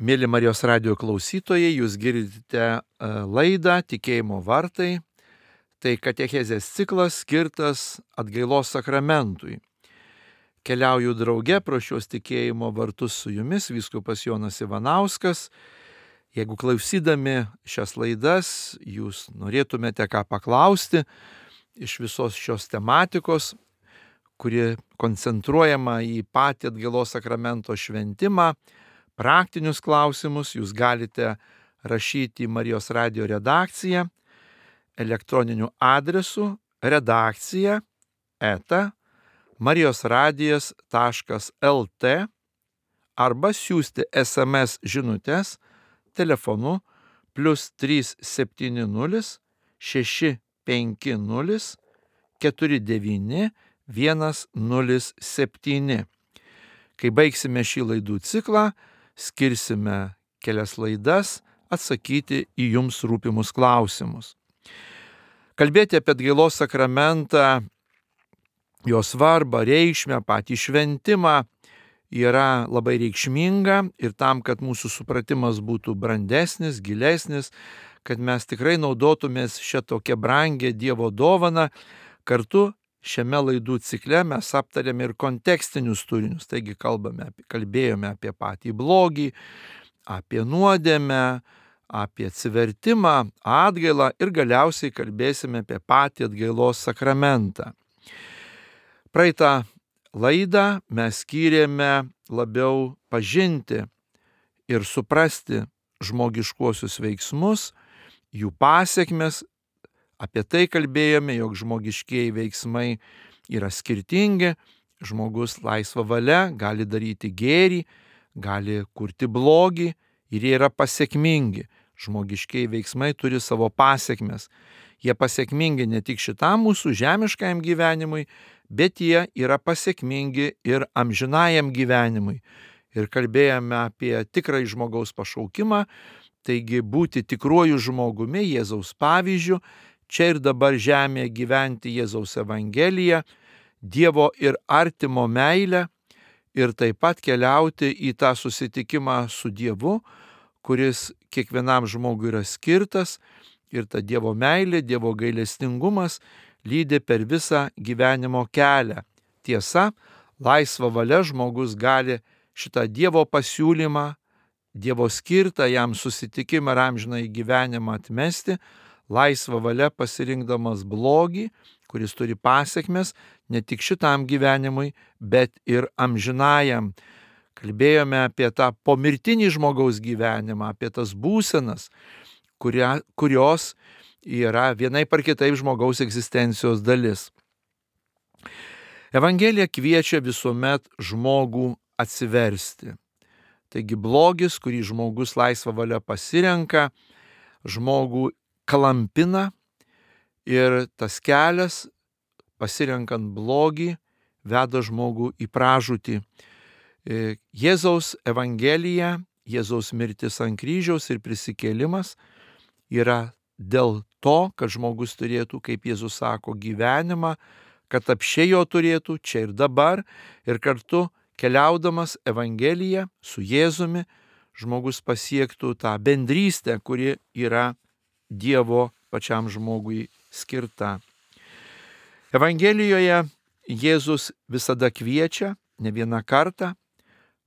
Mėly Marijos radijo klausytojai, jūs girdite laidą Tikėjimo vartai. Tai katechezės ciklas skirtas atgailos sakramentui. Keliauju drauge pro šios tikėjimo vartus su jumis, vyskupas Jonas Ivanauskas. Jeigu klausydami šias laidas, jūs norėtumėte ką paklausti iš visos šios tematikos, kuri koncentruojama į patį atgailos sakramento šventimą, praktinius klausimus, jūs galite rašyti į Marijos radijo redakciją elektroniniu adresu redakcija@marijosradijas.lt arba siųsti SMS žinutes telefonu +370 650 49 107. Kai baigsime šį laidų ciklą, skirsime kelias laidas atsakyti į jums rūpimus klausimus. Kalbėti apie atgailos sakramentą, jo svarbą, reikšmę, patį šventimą yra labai reikšminga ir tam, kad mūsų supratimas būtų brandesnis, gilesnis, kad mes tikrai naudotumės šią tokią brangę Dievo dovaną, kartu šiame laidų cikle mes aptarėme ir kontekstinius turinius, taigi kalbėjome apie patį blogį, apie nuodėmę, apie atsivertimą, atgailą ir galiausiai kalbėsime apie patį atgailos sakramentą. Praeitą laidą mes skyrėme labiau pažinti ir suprasti žmogiškuosius veiksmus, jų pasekmes. Apie tai kalbėjome, jog žmogiškieji veiksmai yra skirtingi, žmogus laisva valia gali daryti gėrį, gali kurti blogį ir jie yra pasekmingi. Žmogiškieji veiksmai turi savo pasekmes. Jie pasekmingi ne tik šitam mūsų žemiškajam gyvenimui, bet jie yra pasekmingi ir amžinajam gyvenimui. Ir kalbėjome apie tikrąjį žmogaus pašaukimą, taigi būti tikruoju žmogumi, Jėzaus pavyzdžiu, čia ir dabar žemėje gyventi Jėzaus Evangeliją, Dievo ir artimo meilę ir taip pat keliauti į tą susitikimą su Dievu, kuris kiekvienam žmogui yra skirtas ir ta Dievo meilė, Dievo gailestingumas lydi per visą gyvenimo kelią. Tiesa, laisva valia žmogus gali šitą Dievo pasiūlymą, Dievo skirtą jam susitikimą ir amžinąjį gyvenimą atmesti, laisva valia pasirinkdamas blogį, kuris turi pasekmes ne tik šitam gyvenimui, bet ir amžinajam. Kalbėjome apie tą pomirtinį žmogaus gyvenimą, apie tas būsenas, kurios yra vienaip ar kitaip žmogaus egzistencijos dalis. Evangelija kviečia visuomet žmogų atsiversti. Taigi blogis, kurį žmogus laisva valia pasirenka, žmogų klampina ir tas kelias, pasirenkant blogį, veda žmogų į pražūtį. Jėzaus Evangelija, Jėzaus mirtis ant kryžiaus ir prisikėlimas yra dėl to, kad žmogus turėtų, kaip Jėzus sako, gyvenimą, kad apsčiai jo turėtų čia ir dabar, ir kartu keliaudamas Evangeliją su Jėzumi, žmogus pasiektų tą bendrystę, kuri yra Dievo pačiam žmogui skirta. Evangelijoje Jėzus visada kviečia, ne vieną kartą,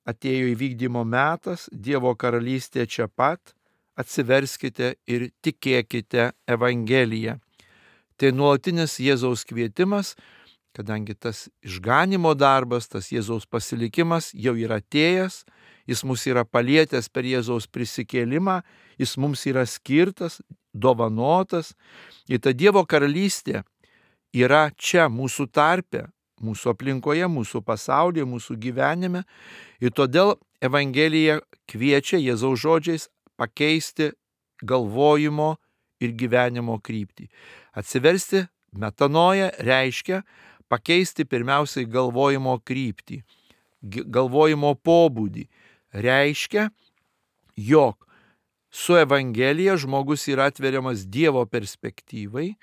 atėjo įvykdymo metas, Dievo karalystė čia pat, atsiverskite ir tikėkite Evangeliją. Tai nuolatinis Jėzaus kvietimas, kadangi tas išganymo darbas, tas Jėzaus pasilikimas jau yra atėjęs, jis mus yra palietęs per Jėzaus prisikėlimą, jis mums yra skirtas, dovanotas. Ir ta Dievo karalystė yra čia mūsų tarpe, mūsų aplinkoje, mūsų pasaulyje, mūsų gyvenime. Ir todėl Evangelija kviečia Jėzaus žodžiais pakeisti galvojimo ir gyvenimo kryptį. Atsiversti metanoja reiškia pakeisti pirmiausiai galvojimo kryptį, galvojimo pobūdį. Reiškia, jog su Evangelija žmogus yra atveriamas Dievo perspektyvai,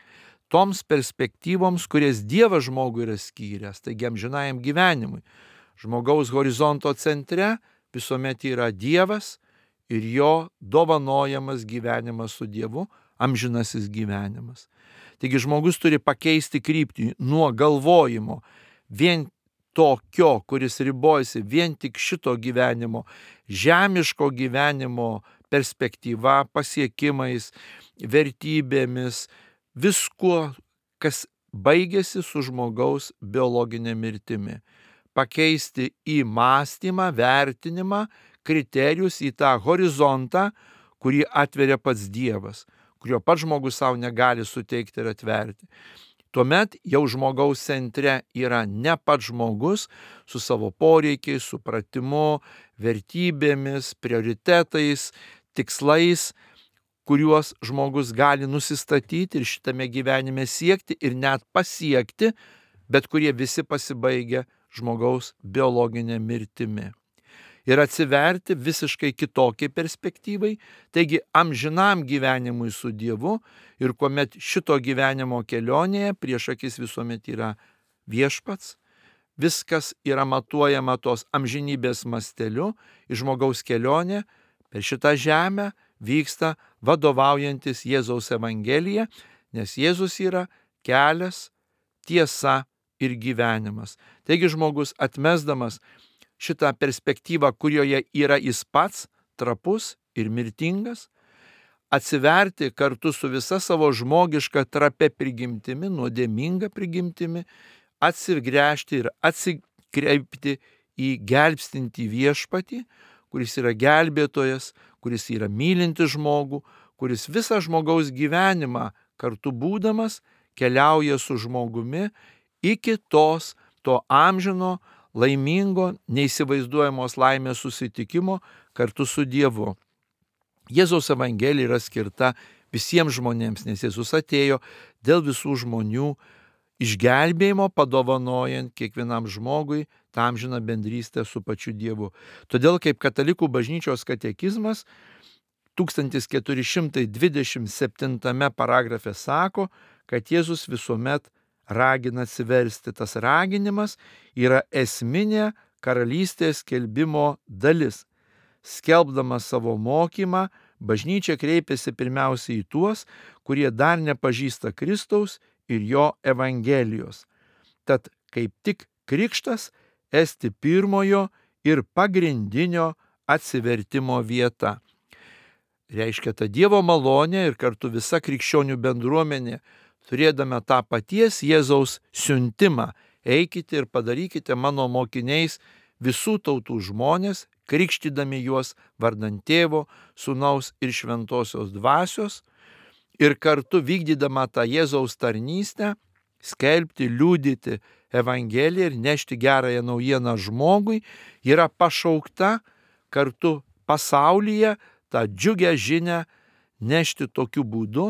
toms perspektyvoms, kurias Dievas žmogui yra skyręs, taigi amžinajam gyvenimui. Žmogaus horizonto centre visuomet yra Dievas ir jo dovanojamas gyvenimas su Dievu, amžinasis gyvenimas. Taigi žmogus turi pakeisti kryptį nuo galvojimo vien tokio, kuris ribojasi vien tik šito gyvenimo, žemiško gyvenimo perspektyva, pasiekimais, vertybėmis, viskuo, kas baigėsi su žmogaus biologinė mirtimi. Pakeisti į mąstymą, vertinimą, kriterijus, į tą horizontą, kurį atveria pats Dievas, kurio pats žmogus savo negali suteikti ir atverti. Tuomet jau žmogaus centre yra ne pats žmogus su savo poreikiais, supratimu, vertybėmis, prioritetais, tikslais, kuriuos žmogus gali nusistatyti ir šitame gyvenime siekti ir net pasiekti, bet kurie visi pasibaigia žmogaus biologinė mirtimi. Ir atsiverti visiškai kitokiai perspektyvai, taigi amžinam gyvenimui su Dievu, ir kuomet šito gyvenimo kelionėje prieš akis visuomet yra viešpats, viskas yra matuojama tos amžinybės masteliu, į žmogaus kelionė per šitą žemę vyksta vadovaujantis Jėzaus Evangelija, nes Jėzus yra kelias, tiesa ir gyvenimas. Taigi žmogus atmesdamas šitą perspektyvą, kurioje yra jis pats, trapus ir mirtingas, atsiverti kartu su visa savo žmogiška trapia prigimtimi, nuodėminga prigimtimi, atsigręžti ir atsikreipti į gelbstintį viešpatį, kuris yra gelbėtojas, kuris yra mylintis žmogų, kuris visą žmogaus gyvenimą kartu būdamas keliauja su žmogumi iki to amžino, laimingo, neįsivaizduojamos laimės susitikimo kartu su Dievu. Jėzaus Evangelija yra skirta visiems žmonėms, nes Jėzus atėjo dėl visų žmonių išgelbėjimo, padovanojant kiekvienam žmogui tą amžiną bendrystę su pačiu Dievu. Todėl kaip Katalikų bažnyčios katekizmas 1427 paragrafe sako, kad Jėzus visuomet ragina atsiversti. Tas raginimas yra esminė karalystės skelbimo dalis. Skelbdama savo mokymą, bažnyčia kreipiasi pirmiausia į tuos, kurie dar nepažįsta Kristaus ir jo Evangelijos. Tad kaip tik krikštas esti pirmojo ir pagrindinio atsivertimo vieta. Reiškia, ta Dievo malonė ir kartu visa krikščionių bendruomenė, turėdama tą paties Jėzaus siuntimą, eikite ir padarykite mano mokiniais visų tautų žmonės, krikštydami juos vardan Tėvo, Sūnaus ir Šventosios Dvasios, ir kartu vykdydama tą Jėzaus tarnystę, skelbti, liudyti Evangeliją ir nešti gerąją naujieną žmogui, yra pašaukta kartu pasaulyje tą džiugią žinią nešti tokiu būdu,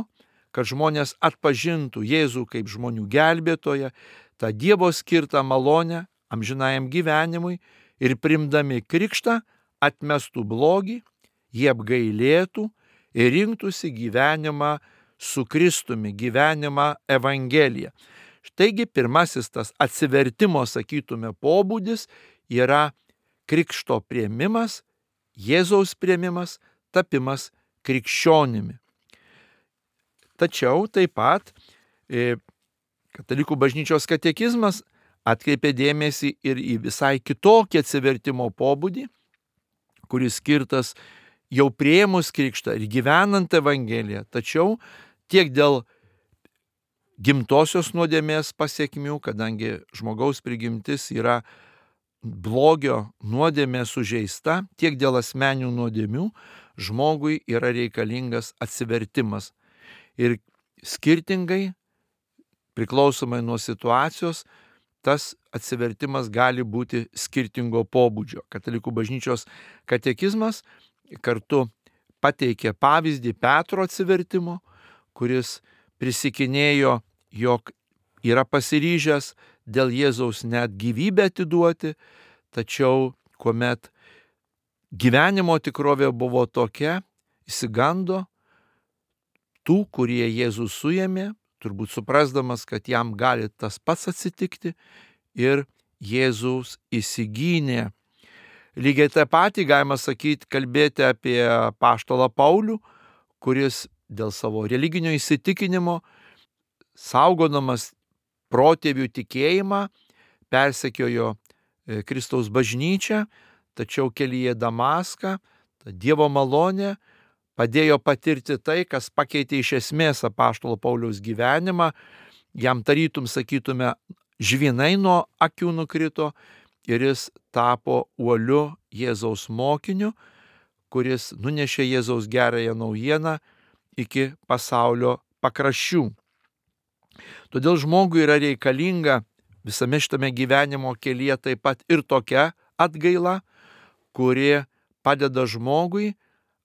kad žmonės atpažintų Jėzų kaip žmonių gelbėtoją, tą Dievo skirtą malonę amžinajam gyvenimui ir primdami krikštą atmestų blogį, jie apgailėtų ir rinktųsi gyvenimą su Kristumi, gyvenimą Evangeliją. Štaigi pirmasis tas atsivertimo, sakytume, pobūdis yra krikšto priėmimas, Jėzaus priėmimas, tapimas krikščionimi. Tačiau taip pat Katalikų bažnyčios katekizmas atkreipė dėmesį ir į visai kitokį atsivertimo pobūdį, kuris skirtas jau priėmus krikštą ir gyvenant Evangeliją, tačiau tiek dėl gimtosios nuodėmės pasiekmių, kadangi žmogaus prigimtis yra blogio nuodėmė sužeista, tiek dėl asmeninių nuodėmių žmogui yra reikalingas atsivertimas. Ir skirtingai, priklausomai nuo situacijos, tas atsivertimas gali būti skirtingo pobūdžio. Katalikų bažnyčios katekizmas kartu pateikė pavyzdį Petro atsivertimo, kuris prisikinėjo, jog yra pasiryžęs dėl Jėzaus net gyvybę atiduoti, tačiau kuomet gyvenimo tikrovė buvo tokia, išsigando tų, kurie Jėzų suėmė, turbūt suprasdamas, kad jam gali tas pats atsitikti, ir Jėzus įsigynė Lygiai tą patį galima sakyti, kalbėti apie apaštalą Paulių, kuris dėl savo religinio įsitikinimo, saugodamas protėvių tikėjimą, persekiojo Kristaus bažnyčią, tačiau kelyje Damaską Dievo malonė padėjo patirti tai, kas pakeitė iš esmės apaštalo Pauliaus gyvenimą. Jam tarytum, sakytume, žvynai nuo akių nukrito ir jis tapo uoliu Jėzaus mokiniu, kuris nunešė Jėzaus gerąją naujieną iki pasaulio pakraščių. Todėl žmogui yra reikalinga visame šitame gyvenimo kelyje taip pat ir tokia atgaila, kuri padeda žmogui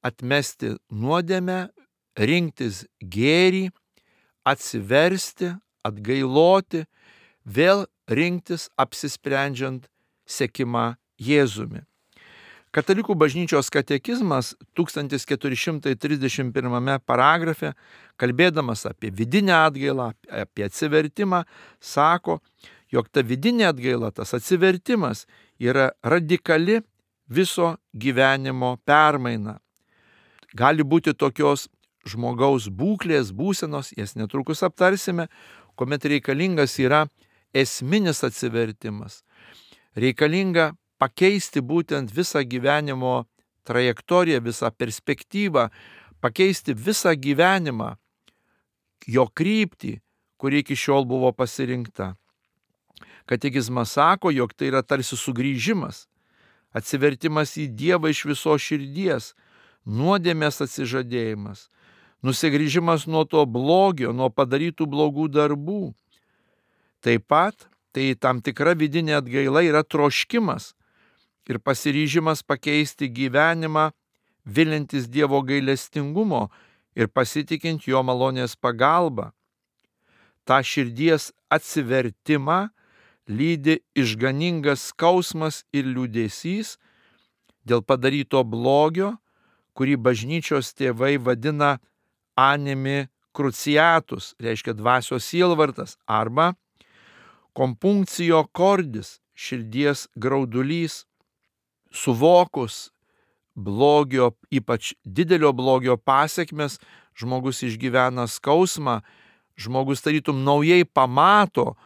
atmesti nuodėmę, rinktis gėrį, atsiversti, atgailoti, vėl rinktis apsisprendžiant sekimą Jėzumi. Katalikų bažnyčios katekizmas 1431 paragrafe, kalbėdamas apie vidinę atgailą, apie atsivertimą, sako, jog ta vidinė atgaila, tas atsivertimas yra radikali viso gyvenimo permaina. Gali būti tokios žmogaus būklės, būsenos, jas netrukus aptarsime, kuomet reikalingas yra esminis atsivertimas. Reikalinga pakeisti būtent visą gyvenimo trajektoriją, visą perspektyvą, pakeisti visą gyvenimą, jo kryptį, kuri iki šiol buvo pasirinkta. Katekizmas sako, jog tai yra tarsi sugrįžimas, atsivertimas į Dievą iš visos širdies, nuodėmės atsižadėjimas, nusigrįžimas nuo to blogio, nuo padarytų blogų darbų. Taip pat tai tam tikra vidinė atgaila yra troškimas ir pasiryžimas pakeisti gyvenimą, vilintis Dievo gailestingumo ir pasitikint jo malonės pagalba. Ta širdies atsivertimą lydi išganingas skausmas ir liūdesys dėl padaryto blogio, kurį bažnyčios tėvai vadina animi cruciatus, reiškia dvasios sielvartas, arba compunctio cordis, širdies graudulys. Suvokus blogio, ypač didelio blogio pasekmes, žmogus išgyvena skausmą, žmogus tarytum naujai pamato,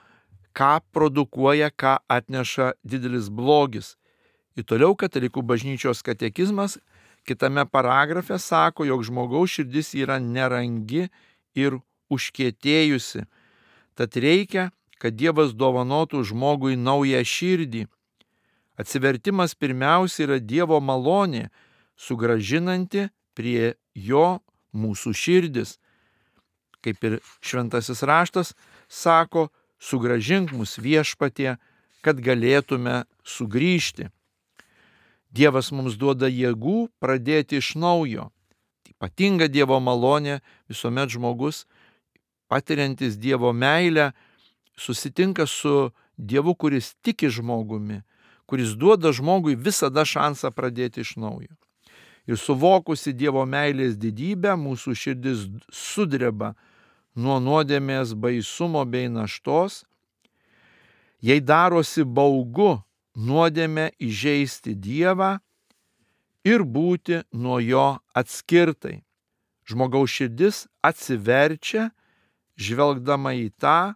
ką produkuoja, ką atneša didelis blogis. Ir toliau katalikų bažnyčios katekizmas kitame paragrafe sako, jog žmogaus širdis yra nerangi ir užkietėjusi. Tad reikia, kad Dievas dovanotų žmogui naują širdį. Atsivertimas pirmiausia yra Dievo malonė, sugrąžinanti prie jo mūsų širdis. Kaip ir šventasis raštas sako, sugrąžink mus Viešpatie, kad galėtume sugrįžti. Dievas mums duoda jėgų pradėti iš naujo. Ypatinga Dievo malonė visuomet žmogus, patiriantis Dievo meilę, susitinka su Dievu, kuris tiki žmogumi, kuris duoda žmogui visada šansą pradėti iš naujo. Ir suvokusi Dievo meilės didybę, mūsų širdis sudreba nuo nuodėmės baisumo bei naštos, jai darosi baugu nuodėmę įžeisti Dievą ir būti nuo jo atskirtai. Žmogaus širdis atsiverčia, žvelgdama į tą,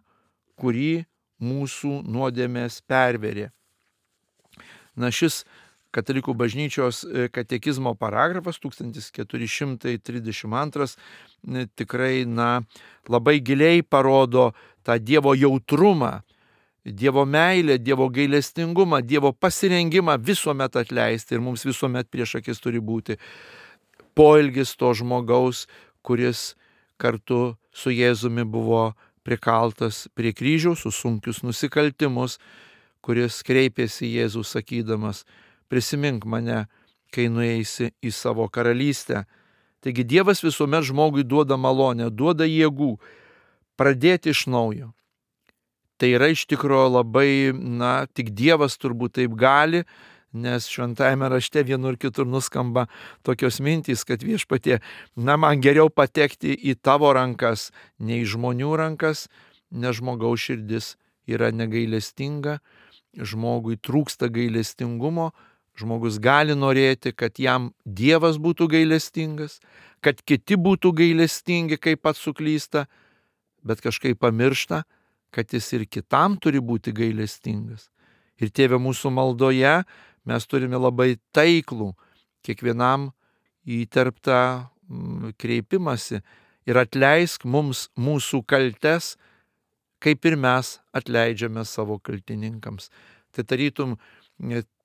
kurį mūsų nuodėmės perverė. Šis katalikų bažnyčios katekizmo paragrafas 1432 tikrai labai giliai parodo tą Dievo jautrumą, Dievo meilę, Dievo gailestingumą, Dievo pasirengimą visuomet atleisti, ir mums visuomet prieš akis turi būti poelgis to žmogaus, kuris kartu su Jėzumi buvo prikaltas prie kryžiaus už sunkius nusikaltimus, kuris kreipėsi Jėzų sakydamas, prisimink mane, kai nueisi į savo karalystę. Taigi Dievas visuomet žmogui duoda malonę, duoda jėgų pradėti iš naujo. Tai yra iš tikrųjų labai, tik Dievas turbūt taip gali, nes šventajame rašte vienur kitur nuskamba tokios mintys, kad Viešpatie, man geriau patekti į tavo rankas, nei žmonių rankas, nes žmogaus širdis yra negailestinga, žmogui trūksta gailestingumo, žmogus gali norėti, kad jam Dievas būtų gailestingas, kad kiti būtų gailestingi, kai pats suklysta, bet kažkaip pamiršta, kad jis ir kitam turi būti gailestingas. Ir Tėve, mūsų maldoje mes turime labai taiklų, kiekvienam įterptą kreipimąsi ir atleisk mums mūsų kaltes, kaip ir mes atleidžiame savo kaltininkams. Tai tarytum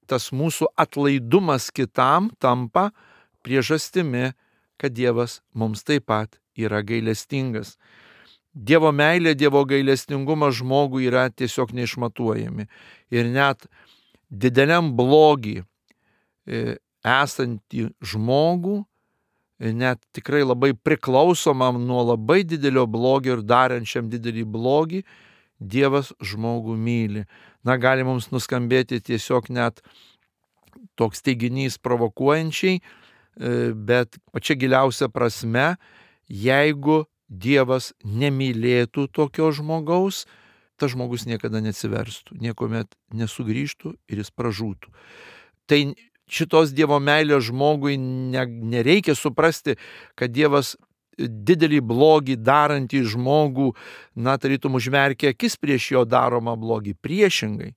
tas mūsų atlaidumas kitam tampa priežastimi, kad Dievas mums taip pat yra gailestingas. Dievo meilė, Dievo gailestingumas žmogui yra tiesiog neišmatuojami. Ir net dideliam blogį esantį žmogų, net tikrai labai priklausomam nuo labai didelio blogio ir darančiam didelį blogį, Dievas žmogų myli. Gali mums nuskambėti tiesiog net toks teiginys provokuojančiai, bet pačia giliausia prasme, jeigu Dievas nemylėtų tokio žmogaus, tas žmogus niekada neatsiverstų, niekuomet nesugrįžtų ir jis pražūtų. Tai šitos Dievo meilės žmogui nereikia suprasti, kad Dievas didelį blogį darantį žmogų, tarytum užmerkia akis prieš jo daromą blogį. Priešingai,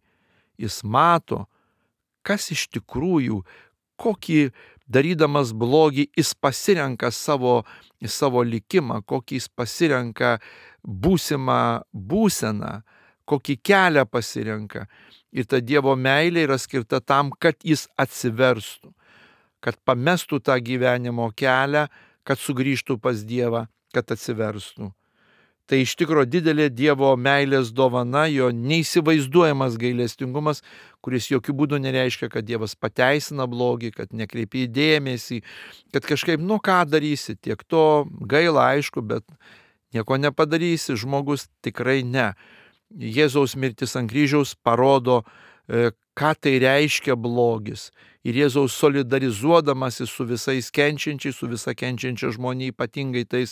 jis mato, kas iš tikrųjų, kokį darydamas blogį jis pasirenka savo likimą, kokį jis pasirenka būsimą būseną, kokį kelią pasirenka. Ir ta Dievo meilė yra skirta tam, kad jis atsiverstų, kad pamestų tą gyvenimo kelią, kad sugrįžtų pas Dievą, kad atsiverstų. Tai iš tikro didelė Dievo meilės dovana, jo neįsivaizduojamas gailestingumas, kuris jokių būdų nereiškia, kad Dievas pateisina blogį, kad nekreipia dėmesį, kad kažkaip, ką darysi, tiek to gaila, aišku, bet nieko nepadarysi, žmogus tikrai ne. Jėzaus mirtis ant kryžiaus parodo, ką tai reiškia blogis. Ir Jėzaus solidarizuodamasi su visais kenčiančiais, su visa kenčiančia žmonija, ypatingai tais,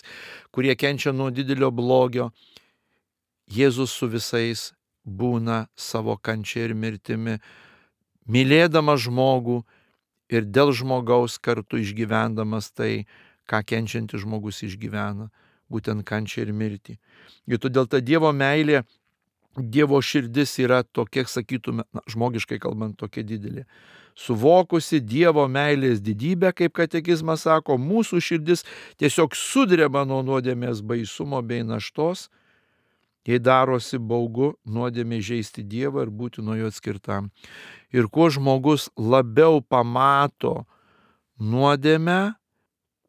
kurie kenčia nuo didelio blogio, Jėzus su visais būna savo kančia ir mirtimi, mylėdamas žmogų ir dėl žmogaus kartu išgyvendamas tai, ką kenčiantis žmogus išgyvena, būtent kančia ir mirtį. Ir todėl ta Dievo meilė, Dievo širdis yra tokia, sakytume, žmogiškai kalbant, tokia didelė. Suvokusi Dievo meilės didybę, kaip katekizmas sako, mūsų širdis tiesiog sudreba nuo nuodėmės baisumo bei naštos, jei darosi baugu nuodėmė žeisti Dievą ir būti nuo jo atskirtam. Ir kuo žmogus labiau pamato nuodėmę,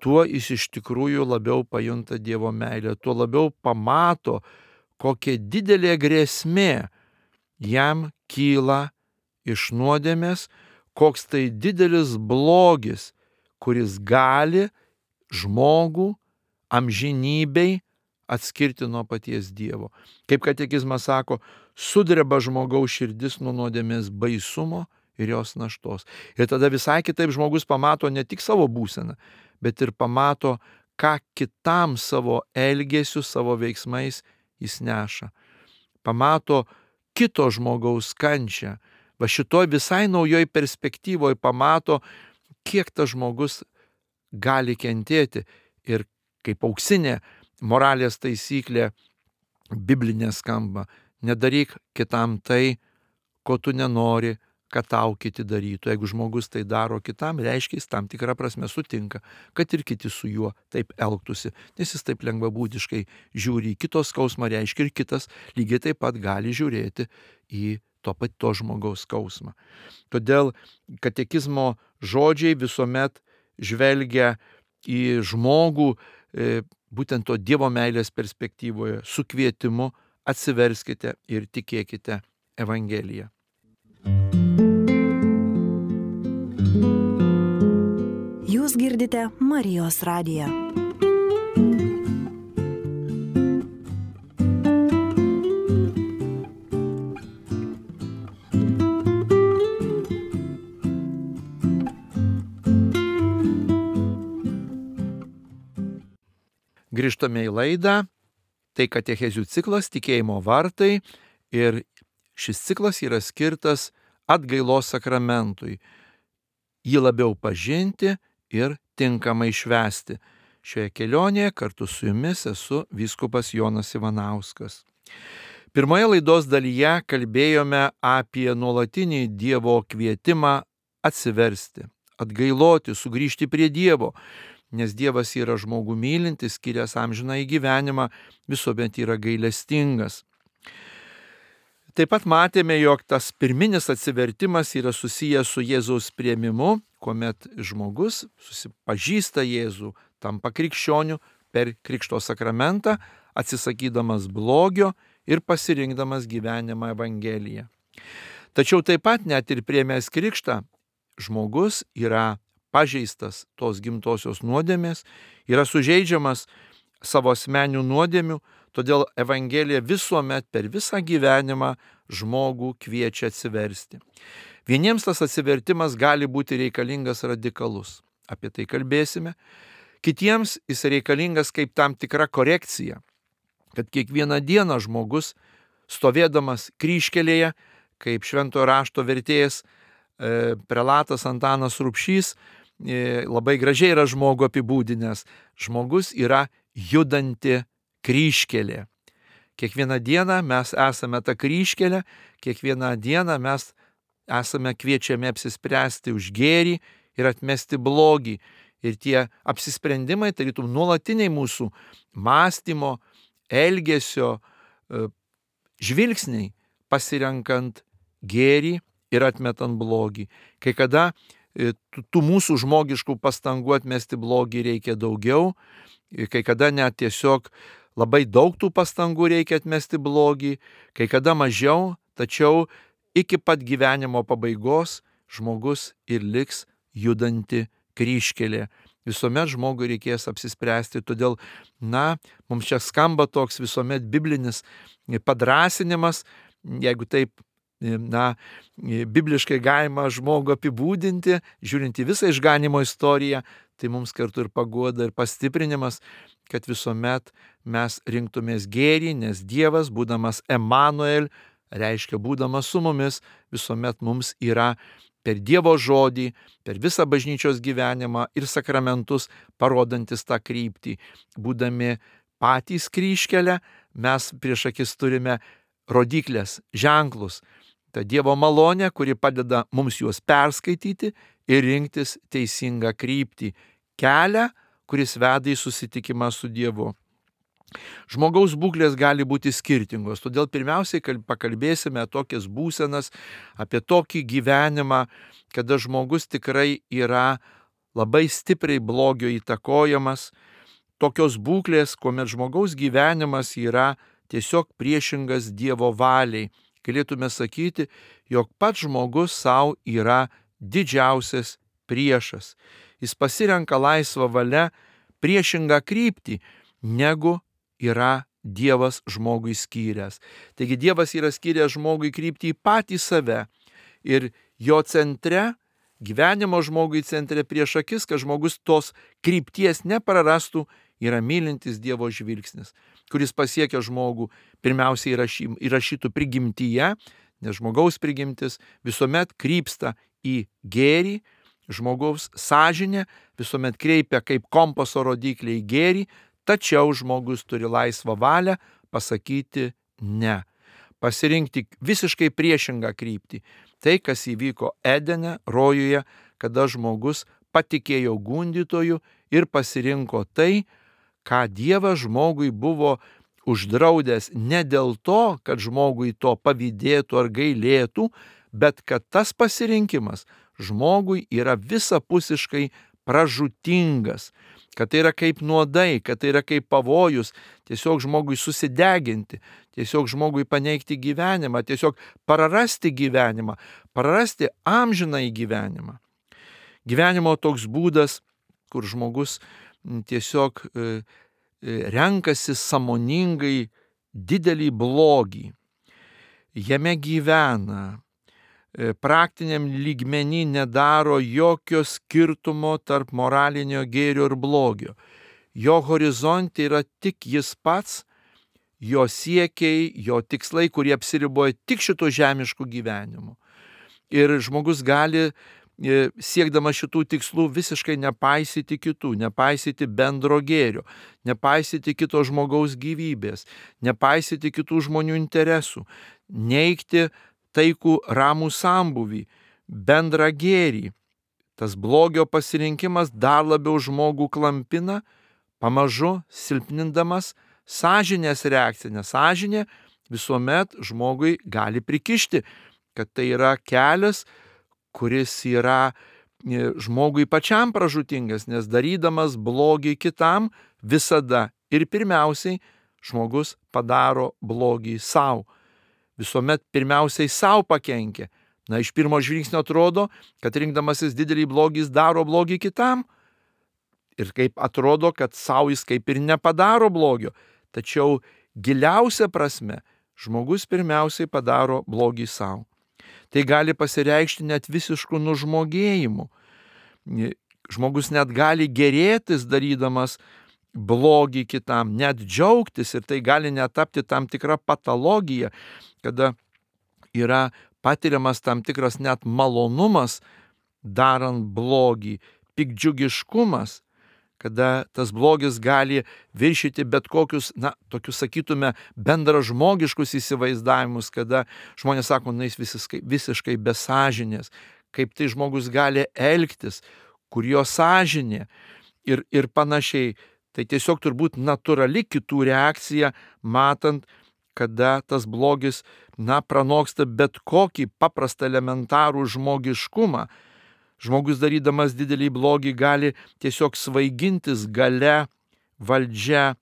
tuo jis iš tikrųjų labiau pajunta Dievo meilę, tuo labiau pamato, kokia didelė grėsmė jam kyla iš nuodėmės, koks tai didelis blogis, kuris gali žmogų amžinybei atskirti nuo paties Dievo. Kaip katekizmas sako, sudreba žmogaus širdis nuo nuodėmės baisumo ir jos naštos. Ir tada visai kitaip žmogus pamato ne tik savo būseną, bet ir pamato, ką kitam savo elgesiu, savo veiksmais jis neša. Pamato kito žmogaus kančią. Va šitoj visai naujoj perspektyvoje pamato, kiek tas žmogus gali kentėti. Ir kaip auksinė moralės taisyklė biblinė skamba, nedaryk kitam tai, ko tu nenori, kad tau kiti darytų. Jeigu žmogus tai daro kitam, reiškia, jis tam tikrą prasme sutinka, kad ir kiti su juo taip elgtųsi, nes jis taip lengvabūdiškai žiūri į kito skausmą, reiškia, ir kitas lygiai taip pat gali žiūrėti į to žmogaus skausmą. Todėl katekizmo žodžiai visuomet žvelgia į žmogų būtent to Dievo meilės perspektyvoje su kvietimu atsiverskite ir tikėkite Evangeliją. Jūs girdite Marijos radiją. Grįžtame į laidą, tai katechezių ciklas Tikėjimo vartai ir šis ciklas yra skirtas atgailos sakramentui. jį labiau pažinti ir tinkamai švęsti. Šioje kelionėje kartu su jumis esu vyskupas Jonas Ivanauskas. Pirmoje laidos dalyje kalbėjome apie nuolatinį Dievo kvietimą atsiversti, atgailoti, sugrįžti prie Dievo, nes Dievas yra žmogų mylintis, skyręs amžinąjį gyvenimą, visuomet yra gailestingas. Taip pat matėme, jog tas pirminis atsivertimas yra susijęs su Jėzaus priėmimu, kuomet žmogus susipažįsta Jėzų, tampa krikščioniu per Krikšto sakramentą, atsisakydamas blogio ir pasirinkdamas gyvenimą Evangeliją. Tačiau taip pat net ir priėmęs krikštą, žmogus yra pažeistas tos gimtosios nuodėmės, yra sužeidžiamas savo asmeninių nuodėmių, todėl Evangelija visuomet per visą gyvenimą žmogų kviečia atsiversti. Vieniems tas atsivertimas gali būti reikalingas radikalus, apie tai kalbėsime. Kitiems jis reikalingas kaip tam tikra korekcija, kad kiekvieną dieną žmogus, stovėdamas kryžkelėje, kaip Šventojo rašto vertėjas prelatas Antanas Rubšys labai gražiai yra žmogų apibūdinęs. Žmogus yra judanti kryžkelė. Kiekvieną dieną mes esame ta kryžkelė, kiekvieną dieną mes esame kviečiami apsispręsti už gėrį ir atmesti blogį. Ir tie apsisprendimai tarytum nuolatiniai mūsų mąstymo, elgesio, žvilgsniai, pasirenkant gėrį ir atmetant blogį. Kai kada tų mūsų žmogiškų pastangų atmesti blogį reikia daugiau, kai kada net tiesiog labai daug tų pastangų reikia atmesti blogį, kai kada mažiau, tačiau iki pat gyvenimo pabaigos žmogus ir liks judanti kryžkelė. Visuomet žmogui reikės apsispręsti, todėl, mums čia skamba toks visuomet biblinis padrąsinimas, jeigu taip, bibliškai galima žmogų apibūdinti, žiūrint į visą išganimo istoriją, tai mums kartu ir paguoda, ir pastiprinimas, kad visuomet mes rinktumės gėrį, nes Dievas, būdamas Emanuel, reiškia būdamas su mumis, visuomet mums yra per Dievo žodį, per visą bažnyčios gyvenimą ir sakramentus parodantis tą kryptį. Būdami patys kryžkelę, mes prieš akis turime rodiklės, ženklus. Ta Dievo malonė, kuri padeda mums juos perskaityti ir rinktis teisingą kryptį. Kelią, kuris veda į susitikimą su Dievu. Žmogaus būklės gali būti skirtingos, todėl pirmiausiai pakalbėsime tokias būsenas, apie tokį gyvenimą, kada žmogus tikrai yra labai stipriai blogio įtakojamas, tokios būklės, kuomet žmogaus gyvenimas yra tiesiog priešingas Dievo valiai. Galėtume sakyti, jog pats žmogus savo yra didžiausias priešas. Jis pasirenka laisvą valią priešingą kryptį, negu yra Dievas žmogui skyręs. Taigi Dievas yra skyręs žmogui kryptį į patį save ir jo centre, gyvenimo žmogui centre prieš akis, kad žmogus tos krypties neprarastų, yra mylintis Dievo žvilgsnis, kuris pasiekia žmogų pirmiausiai įrašytų prigimtyje, nes žmogaus prigimtis visuomet krypsta į gėrį, žmogaus sąžinė visuomet kreipia kaip kompaso rodiklį į gėrį, tačiau žmogus turi laisvą valią pasakyti ne, pasirinkti visiškai priešingą kryptį. Tai, kas įvyko Edene, rojuje, kada žmogus patikėjo gundytoju ir pasirinko tai, ką Dievas žmogui buvo uždraudęs ne dėl to, kad žmogui to pavydėtų ar gailėtų, bet kad tas pasirinkimas žmogui yra visapusiškai pražūtingas, kad tai yra kaip nuodai, kad tai yra kaip pavojus, tiesiog žmogui susideginti, tiesiog žmogui paneigti gyvenimą, tiesiog prarasti gyvenimą, prarasti amžinąjį gyvenimą. Gyvenimo toks būdas, kur žmogus tiesiog renkasi sąmoningai didelį blogį. Jame gyvena, praktiniam lygmenį nedaro jokio skirtumo tarp moralinio gėrio ir blogio. Jo horizonte yra tik jis pats, jo siekiai, jo tikslai, kurie apsiriboja tik šito žemišku gyvenimu. Ir žmogus gali siekdamas šitų tikslų visiškai nepaisyti kitų, nepaisyti bendro gėrio, nepaisyti kito žmogaus gyvybės, nepaisyti kitų žmonių interesų, neigti taikų ramų sambūvį, bendrą gėrį. Tas blogio pasirinkimas dar labiau žmogų klampina, pamažu silpnindamas sąžinės reakciją, nes sąžinė visuomet žmogui gali prikišti, kad tai yra kelias, kuris yra žmogui pačiam pražūtingas, nes darydamas blogį kitam visada ir pirmiausiai žmogus padaro blogį savo. Visuomet pirmiausiai savo pakenkia. Na, iš pirmo žvilgsnio atrodo, kad rinkdamasis didelį blogį jis daro blogį kitam. Ir kaip atrodo, kad savo jis kaip ir nepadaro blogio. Tačiau giliausia prasme žmogus pirmiausiai padaro blogį savo. Tai gali pasireikšti net visišku nužmogėjimu. Žmogus net gali gerėtis darydamas blogį kitam, net džiaugtis, ir tai gali netapti tam tikra patologija, kada yra patiriamas tam tikras net malonumas darant blogį, piktdžiugiškumas, kada tas blogis gali viršyti bet kokius, tokius sakytume, bendražmogiškus įsivaizdavimus, kada žmonės sako, jis visiškai be sąžinės, kaip tai žmogus gali elgtis, kur jo sąžinė ir panašiai. Tai tiesiog turbūt natūrali kitų reakcija, matant, kada tas blogis, pranoksta bet kokį paprastą elementarų žmogiškumą. Žmogus darydamas didelį blogį gali tiesiog svaigintis galia, valdžia,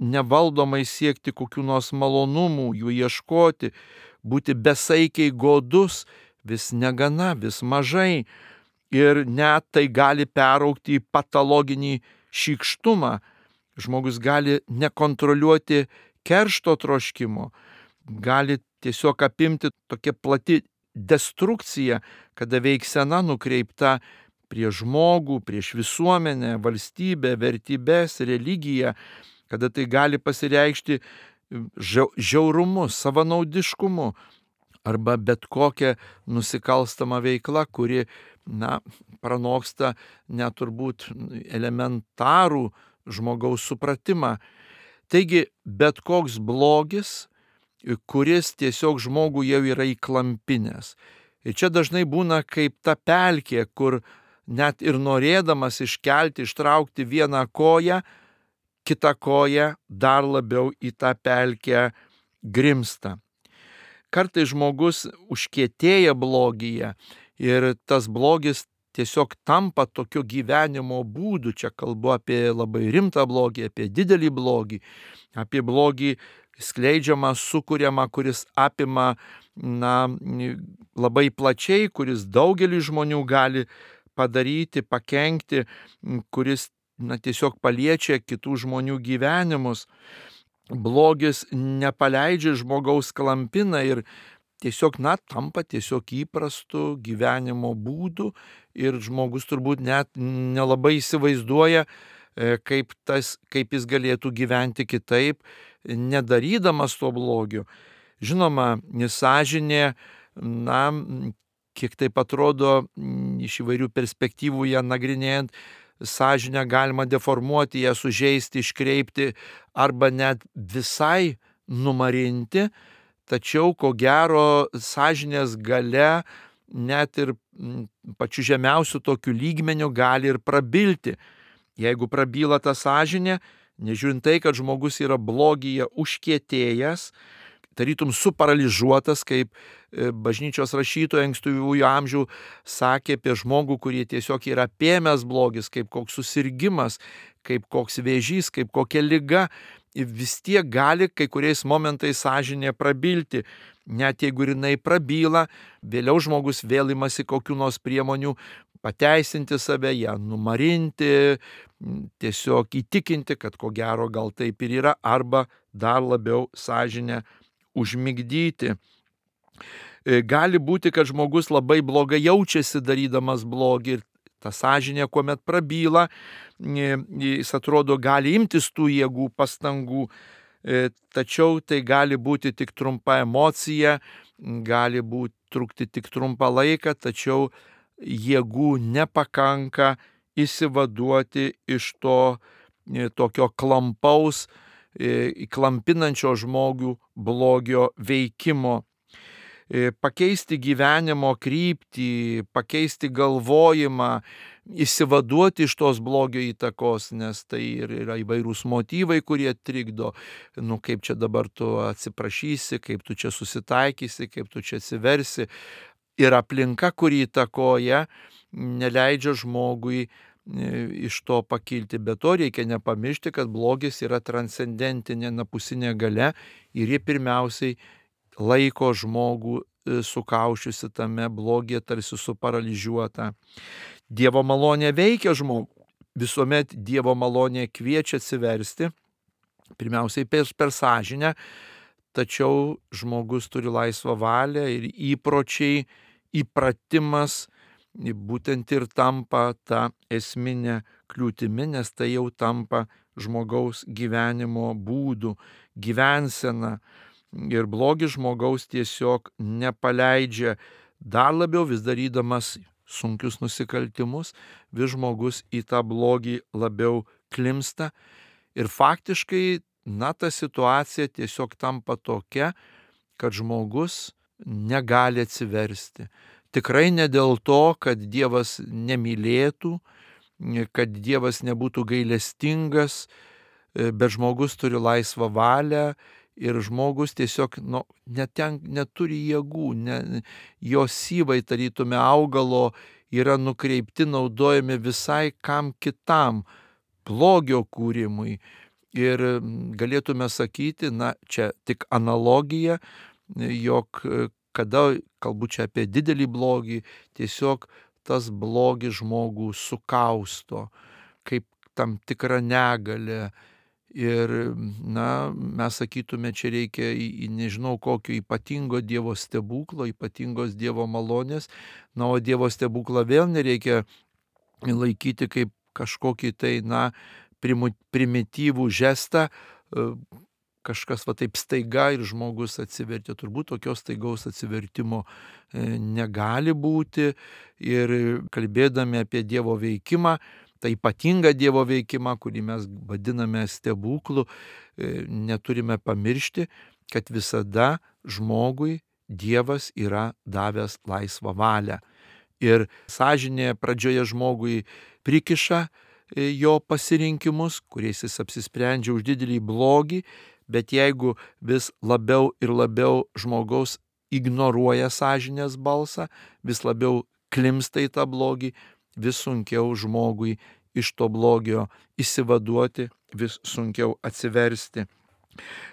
nevaldomai siekti kokių nors malonumų, jų ieškoti, būti besaikiai godus, vis negana, vis mažai. Ir net tai gali peraugti į patologinį šykštumą. Žmogus gali nekontroliuoti keršto troškimo, gali tiesiog apimti tokia plati destrukcija, kada veiksena nukreipta prieš žmogų, prieš visuomenę, valstybę, vertybės, religiją, kada tai gali pasireikšti žiaurumu, savanaudiškumu arba bet kokia nusikalstama veikla, kuri, pranoksta net turbūt elementarų žmogaus supratimą. Taigi, bet koks blogis, kuris tiesiog žmogų jau yra įklampinęs. Ir čia dažnai būna kaip ta pelkė, kur net ir norėdamas iškelti, ištraukti vieną koją, kita koja dar labiau į tą pelkę grimsta. Kartais žmogus užkietėja blogyje ir tas blogis tiesiog tampa tokio gyvenimo būdu. Čia kalbu apie labai rimtą blogį, apie didelį blogį, apie blogį skleidžiamą, sukuriamą, kuris apima labai plačiai, kuris daugelį žmonių gali padaryti, pakenkti, kuris tiesiog paliečia kitų žmonių gyvenimus. Blogis nepaleidžia žmogaus, klampina ir tiesiog tampa tiesiog įprastu gyvenimo būdu ir žmogus turbūt net nelabai įsivaizduoja, kaip jis galėtų gyventi kitaip, nedarydamas to blogio. Žinoma, sąžinė, kiek taip atrodo, iš įvairių perspektyvų ją nagrinėjant, sąžinę galima deformuoti, ją sužeisti, iškreipti arba net visai numarinti, tačiau ko gero sąžinės galia net ir pačiu žemiausiu tokiu lygmeniu gali ir prabilti. Jeigu prabyla ta sąžinė, nežiūrint tai, kad žmogus yra blogyje užkietėjęs, tarytum suparaližuotas, kaip bažnyčios rašytojai ankstyvųjų amžių sakė apie žmogų, kurie tiesiog yra apėmęs blogis, kaip koks susirgimas, kaip koks vėžys, kaip kokia liga, vis tiek gali kai kuriais momentais sąžinė prabilti. Net jeigu jinai prabyla, vėliau žmogus vėl imasi kokių nors priemonių pateisinti save, ją numarinti, tiesiog įtikinti, kad ko gero gal taip ir yra, arba dar labiau sąžinę užmigdyti. Gali būti, kad žmogus labai blogai jaučiasi darydamas blogį ir ta sąžinė, kuomet prabyla, jis atrodo gali imtis tų jėgų, pastangų, tačiau tai gali būti tik trumpa emocija, gali trukti tik trumpą laiką, tačiau jėgų nepakanka išsivaduoti iš to tokio klampaus, klampinančio žmogų blogio veikimo. Pakeisti gyvenimo kryptį, pakeisti galvojimą, išsivaduoti iš tos blogio įtakos, nes tai yra įvairūs motyvai, kurie trikdo. Kaip čia dabar tu atsiprašysi, kaip tu čia susitaikysi, kaip tu čia atsiversi. Ir aplinka, kuri įtakoja, neleidžia žmogui iš to pakilti. Bet to reikia nepamiršti, kad blogis yra transcendentinė napusinė galia ir jie pirmiausiai laiko žmogų sukaušiusi tame blogyje, tarsi suparalyžiuota. Dievo malonė veikia žmogų. Visuomet Dievo malonė kviečia atsiversti, pirmiausiai per sąžinę, tačiau žmogus turi laisvą valią ir įpročiai, įpratimas būtent ir tampa ta esminė kliūtimi, nes tai jau tampa žmogaus gyvenimo būdu, gyvensena. Ir blogis žmogaus tiesiog nepaleidžia, dar labiau vis darydamas sunkius nusikaltimus, vis žmogus į tą blogį labiau klimsta. Ir faktiškai, ta situacija tiesiog tampa tokia, kad žmogus negali atsiversti. Tikrai ne dėl to, kad Dievas nemylėtų, kad Dievas nebūtų gailestingas, bet žmogus turi laisvą valią ir žmogus tiesiog neturi jėgų, jo syvai tarytume augalo yra nukreipti, naudojami visai kam kitam, blogio kūrimui. Ir galėtume sakyti, čia tik analogija, jog kada, kalbu čia apie didelį blogį, tiesiog tas blogis žmogų sukausto, kaip tam tikrą negalę. Ir, mes sakytume, čia reikia nežinau kokio ypatingo Dievo stebuklo, ypatingos Dievo malonės, o Dievo stebuklą vėl nereikia laikyti kaip kažkokį tai, primityvų žestą, kažkas taip staiga ir žmogus atsivertė. Turbūt tokios staigaus atsivertimo negali būti. Ir kalbėdami apie Dievo veikimą, tą ypatingą Dievo veikimą, kurį mes vadiname stebuklu, neturime pamiršti, kad visada žmogui Dievas yra davęs laisvą valią. Ir sąžinė pradžioje žmogui prikiša jo pasirinkimus, kuriais jis apsisprendžia už didelį blogį, bet jeigu vis labiau ir labiau žmogaus ignoruoja sąžinės balsą, vis labiau klimsta į tą blogį, vis sunkiau žmogui iš to blogio išsivaduoti, vis sunkiau atsiversti.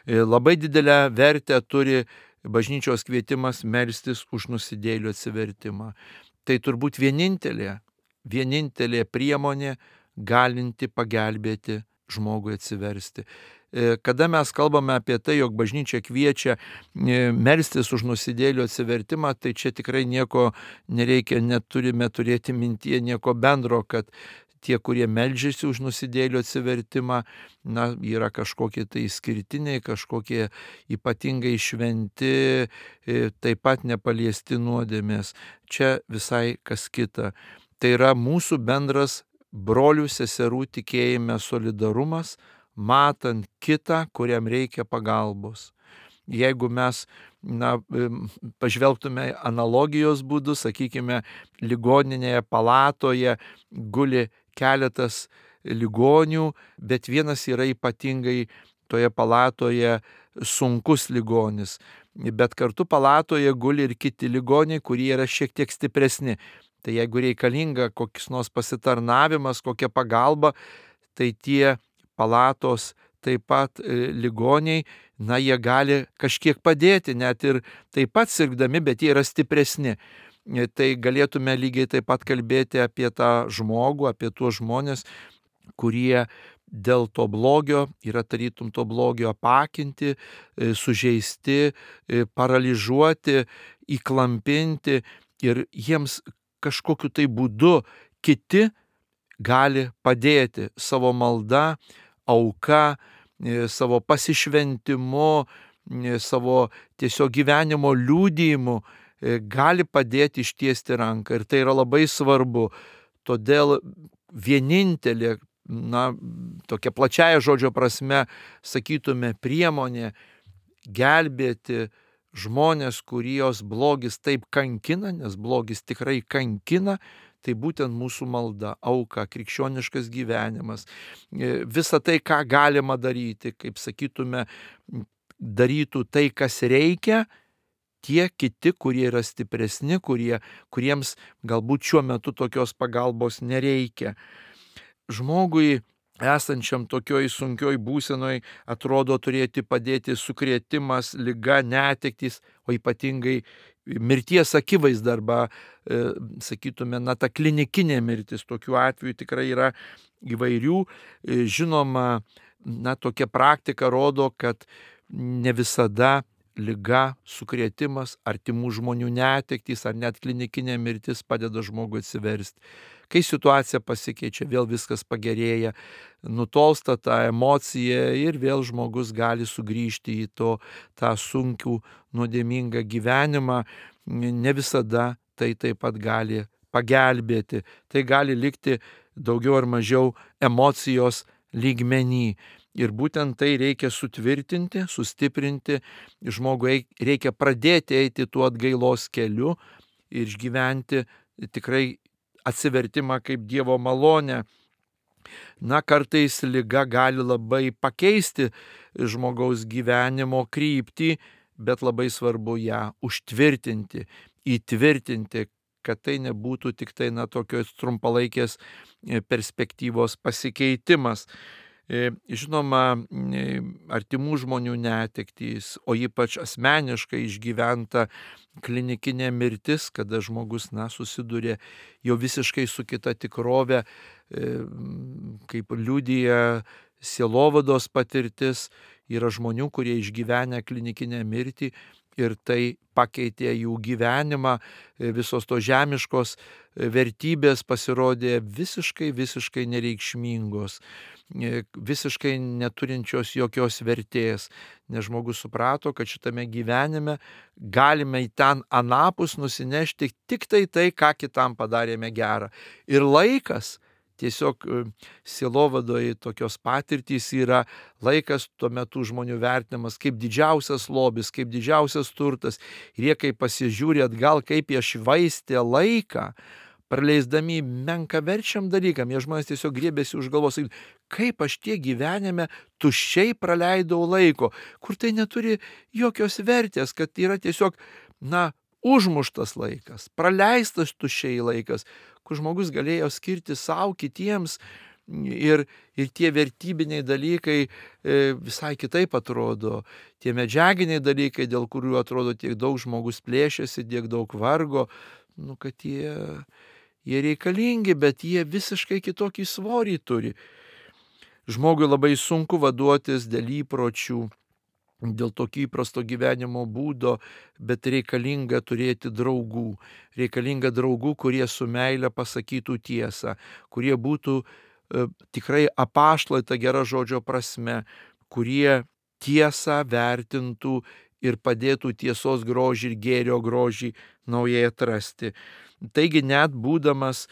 Labai didelę vertę turi bažnyčios kvietimas melstis už nusidėjėlių atsivertimą. Tai turbūt vienintelė priemonė galinti pagelbėti žmogui atsiversti. Kada mes kalbame apie tai, jog bažnyčia kviečia melstis už nusidėjėlių atsivertimą, tai čia tikrai nieko nereikia, neturime turėti mintyje nieko bendro, kad tie, kurie meldžiasi už nusidėjėlių atsivertimą, yra kažkokie tai išskirtiniai, kažkokie ypatingai šventi, taip pat nepaliesti nuodėmės. Čia visai kas kita. Tai yra mūsų bendras brolių seserų tikėjime solidarumas, matant kitą, kuriam reikia pagalbos. Jeigu mes pažvelgtume analogijos būdu, sakykime, ligoninėje palatoje guli keletas ligonių, bet vienas yra ypatingai toje palatoje sunkus ligonis. Bet kartu palatoje guli ir kiti ligoniai, kurie yra šiek tiek stipresni. Tai jeigu reikalinga koks nors pasitarnavimas, kokia pagalba, tai tie palatos taip pat ligoniai, jie gali kažkiek padėti, net ir taip pat sirgdami, bet jie yra stipresni. Tai galėtume lygiai taip pat kalbėti apie tą žmogų, apie tuos žmonės, kurie dėl to blogio yra tarytum to blogio apakinti, sužeisti, paralyžiuoti, įklampinti ir jiems kažkokiu tai būdu kiti gali padėti savo malda, auka, savo pasišventimu, savo tiesiog gyvenimo liudijimu gali padėti ištiesti ranką ir tai yra labai svarbu. Todėl vienintelė, tokia plačiaja žodžio prasme, sakytume, priemonė gelbėti žmonės, kurios blogis taip kankina, nes blogis tikrai kankina, tai būtent mūsų malda, auka, krikščioniškas gyvenimas. Visa tai, ką galima daryti, kaip sakytume, darytų tai, kas reikia, tie kiti, kurie yra stipresni, kuriems galbūt šiuo metu tokios pagalbos nereikia. Žmogui esančiam tokioj sunkioj būsenoj atrodo turėti padėti sukrėtimas, liga, netektys, o ypatingai mirties akivaizda arba, sakytume, ta klinikinė mirtis. Tokių atvejų tikrai yra įvairių. Žinoma, tokia praktika rodo, kad ne visada liga, sukrėtimas, artimų žmonių netektys ar net klinikinė mirtis padeda žmogui atsiversti. Kai situacija pasikeičia, vėl viskas pagerėja, nutolsta ta emocija ir vėl žmogus gali sugrįžti į tą sunkų, nuodėmingą gyvenimą. Ne visada tai taip pat gali pagelbėti. Tai gali likti daugiau ar mažiau emocijos lygmenį. Ir būtent tai reikia sutvirtinti, sustiprinti. Žmogui reikia pradėti eiti tuo atgailos keliu ir išgyventi tikrai atsivertimą kaip Dievo malonę. Kartais liga gali labai pakeisti žmogaus gyvenimo kryptį, bet labai svarbu ją užtvirtinti, įtvirtinti, kad tai nebūtų tik tai tokios trumpalaikės perspektyvos pasikeitimas. Žinoma, artimų žmonių netektys, o ypač asmeniškai išgyventa klinikinė mirtis, kada žmogus susiduria jau visiškai su kita tikrove, kaip liudija sielovados patirtis, yra žmonių, kurie išgyvenę klinikinę mirtį ir tai pakeitė jų gyvenimą, visos to žemiškos vertybės pasirodė visiškai nereikšmingos, visiškai neturinčios jokios vertės, nes žmogus suprato, kad šitame gyvenime galime į ten anapus nusinešti tik tai, ką kitam padarėme gerą. Ir laikas, tiesiog sielovadoje tokios patirtys yra laikas tuo metu žmonių vertinamas kaip didžiausias lobis, kaip didžiausias turtas. Ir jie, kai pasižiūri atgal, kaip jie švaistė laiką, praleisdami menkaverčiam dalykam, jie žmonės tiesiog griebėsi už galvos, kaip aš tiek gyvenime tuščiai praleidau laiko, kur tai neturi jokios vertės, kad yra tiesiog, užmuštas laikas, praleistas tuščiai laikas, kur žmogus galėjo skirti savo, kitiems ir tie vertybiniai dalykai visai kitaip atrodo. Tie medžiaginiai dalykai, dėl kurių atrodo tiek daug žmogus plėšiasi, tiek daug vargo, kad jie reikalingi, bet jie visiškai kitokį svorį turi. Žmogui labai sunku vaduotis dėl įpročių, dėl tokio įprasto gyvenimo būdo, bet reikalinga turėti draugų. Reikalinga draugų, kurie su meile pasakytų tiesą, kurie būtų tikrai apaštalai ta gera žodžio prasme, kurie tiesą vertintų ir padėtų tiesos grožį ir gėrio grožį naujai atrasti. Taigi net būdamas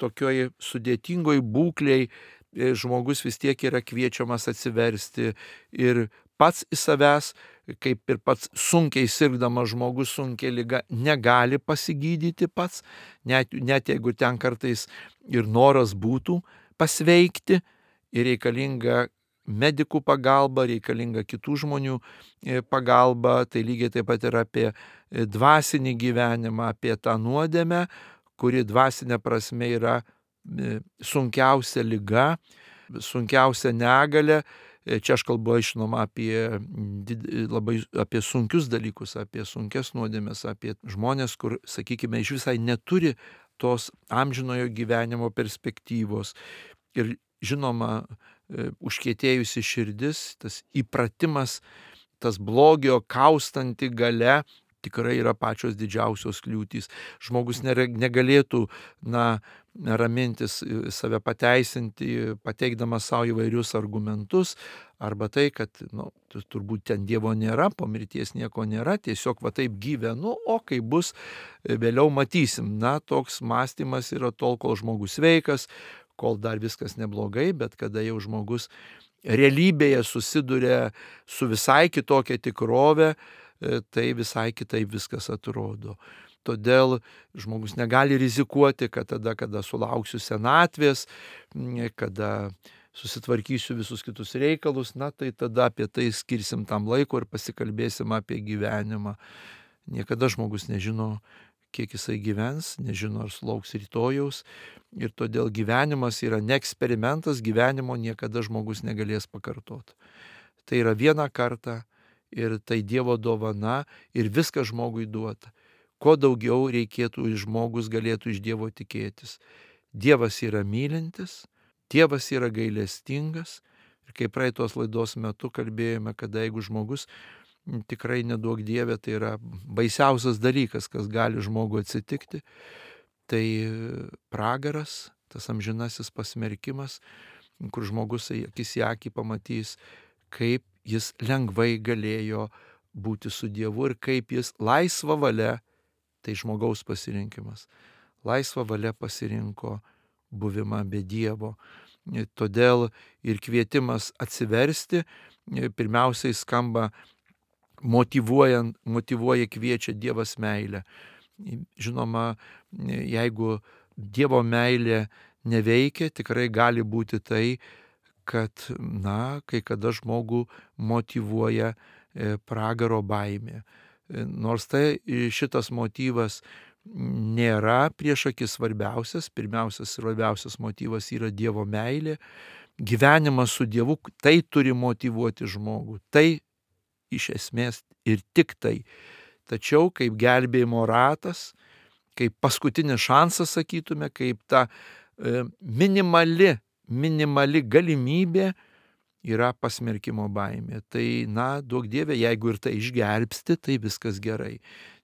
tokioj sudėtingoj būklėj, žmogus vis tiek yra kviečiamas atsiversti ir pats į savęs, kaip ir pats sunkiai sirgdamas žmogus sunkiai liga, negali pasigydyti pats, net jeigu ten kartais ir noras būtų pasveikti, ir reikalinga medikų pagalba, reikalinga kitų žmonių pagalba. Tai lygiai taip pat ir apie dvasinį gyvenimą, apie tą nuodėmę, kuri dvasinė prasme yra sunkiausia liga, sunkiausia negalia. Čia aš kalbu, žinoma, apie sunkius dalykus, apie sunkias nuodėmes, apie žmonės, kur, sakykime, iš visai neturi tos amžinojo gyvenimo perspektyvos. Ir žinoma, užkietėjusi širdis, tas įpratimas, tas blogio kaustanti galia tikrai yra pačios didžiausios kliūtys. Žmogus negalėtų ramintis, save pateisinti, pateikdamas savo įvairius argumentus, arba tai, kad turbūt ten Dievo nėra, po mirties nieko nėra, tiesiog va taip gyvenu, o kai bus, vėliau matysim. Toks mąstymas yra tol, kol žmogus sveikas, kol dar viskas neblogai, bet kada jau žmogus realybėje susiduria su visai kitokia tikrove, tai visai kitaip viskas atrodo. Todėl žmogus negali rizikuoti, kad tada, kada sulauksiu senatvės, kada susitvarkysiu visus kitus reikalus, tai tada apie tai skirsim tam laiko ir pasikalbėsim apie gyvenimą. Niekada žmogus nežino, kiek jisai gyvens, nežino, ar sulauks rytojaus. Ir todėl gyvenimas yra ne eksperimentas, gyvenimo niekada žmogus negalės pakartoti. Tai yra vieną kartą ir tai Dievo dovana ir viskas žmogui duota. Kuo daugiau reikėtų žmogus galėtų iš Dievo tikėtis. Dievas yra mylintis, Dievas yra gailestingas. Ir kaip praeitos laidos metu kalbėjome, kad jeigu žmogus tikrai neduok Dieve, tai yra baisiausias dalykas, kas gali žmogui atsitikti, tai pragaras, tas amžinasis pasmerkimas, kur žmogus akis į akį pamatys, kaip jis lengvai galėjo būti su Dievu ir kaip jis laisva valia, tai žmogaus pasirinkimas, laisva valia pasirinko buvimą be Dievo. Todėl ir kvietimas atsiversti pirmiausiai skamba motyvuoja, kviečia Dievas meilę. Žinoma, jeigu Dievo meilė neveikia, tikrai gali būti tai, kad, kai kada žmogų motyvuoja pragaro baimė. Nors tai šitas motyvas nėra prieš akis svarbiausias, pirmiausias svarbiausias motyvas yra Dievo meilė. Gyvenimas su Dievu, tai turi motyvuoti žmogų, tai iš esmės ir tik tai. Tačiau kaip gelbėjimo ratas, kaip paskutinis šansas, sakytume, kaip ta minimali galimybė yra pasmerkimo baimė. Tai, duok Dieve, jeigu ir tai išgelbsti, tai viskas gerai.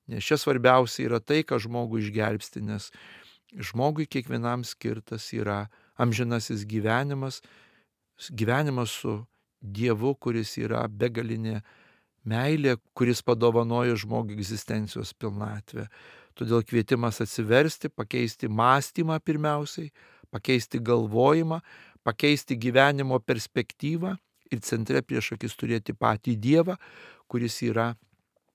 Nes čia svarbiausia yra tai, ką žmogų išgelbsti, nes žmogui kiekvienam skirtas yra amžinasis gyvenimas, gyvenimas su Dievu, kuris yra begalinė meilė, kuris padovanojo žmogui egzistencijos pilnatvę. Todėl kvietimas atsiversti, pakeisti mąstymą pirmiausiai, pakeisti galvojimą, pakeisti gyvenimo perspektyvą ir centre prieš akis turėti patį Dievą, kuris yra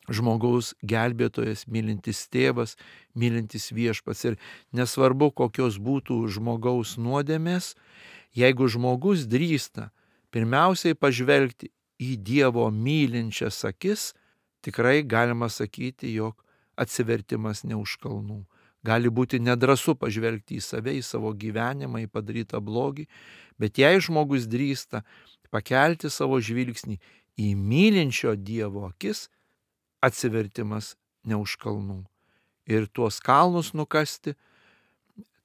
žmogaus gelbėtojas, mylintis tėvas, mylintis viešpats. Ir nesvarbu, kokios būtų žmogaus nuodėmės, jeigu žmogus drįsta pirmiausiai pažvelgti į Dievo mylinčias akis, tikrai galima sakyti, jog atsivertimas ne už kalnų. Gali būti nedrąsu pažvelgti į save, į savo gyvenimą, į padarytą blogį, bet jei žmogus drįsta pakelti savo žvilgsnį į mylinčio Dievo akis, atsivertimas ne už kalnų. Ir tuos kalnus nukasti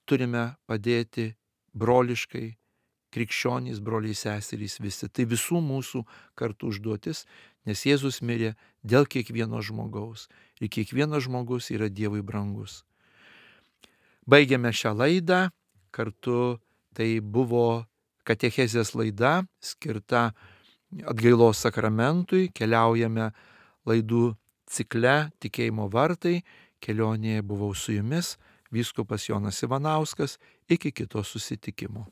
turime padėti broliškai, krikščionys, broliai seserys visi. Tai visų mūsų kartu užduotis, nes Jėzus mirė dėl kiekvieno žmogaus. Ir kiekvienas žmogus yra Dievui brangus. Baigiame šią laidą. Kartu tai buvo katechezės laida skirta atgailos sakramentui. Keliaujame laidų cikle Tikėjimo vartai. Kelionėje buvau su jumis, vyskupas Jonas Ivanauskas. Iki kito susitikimo.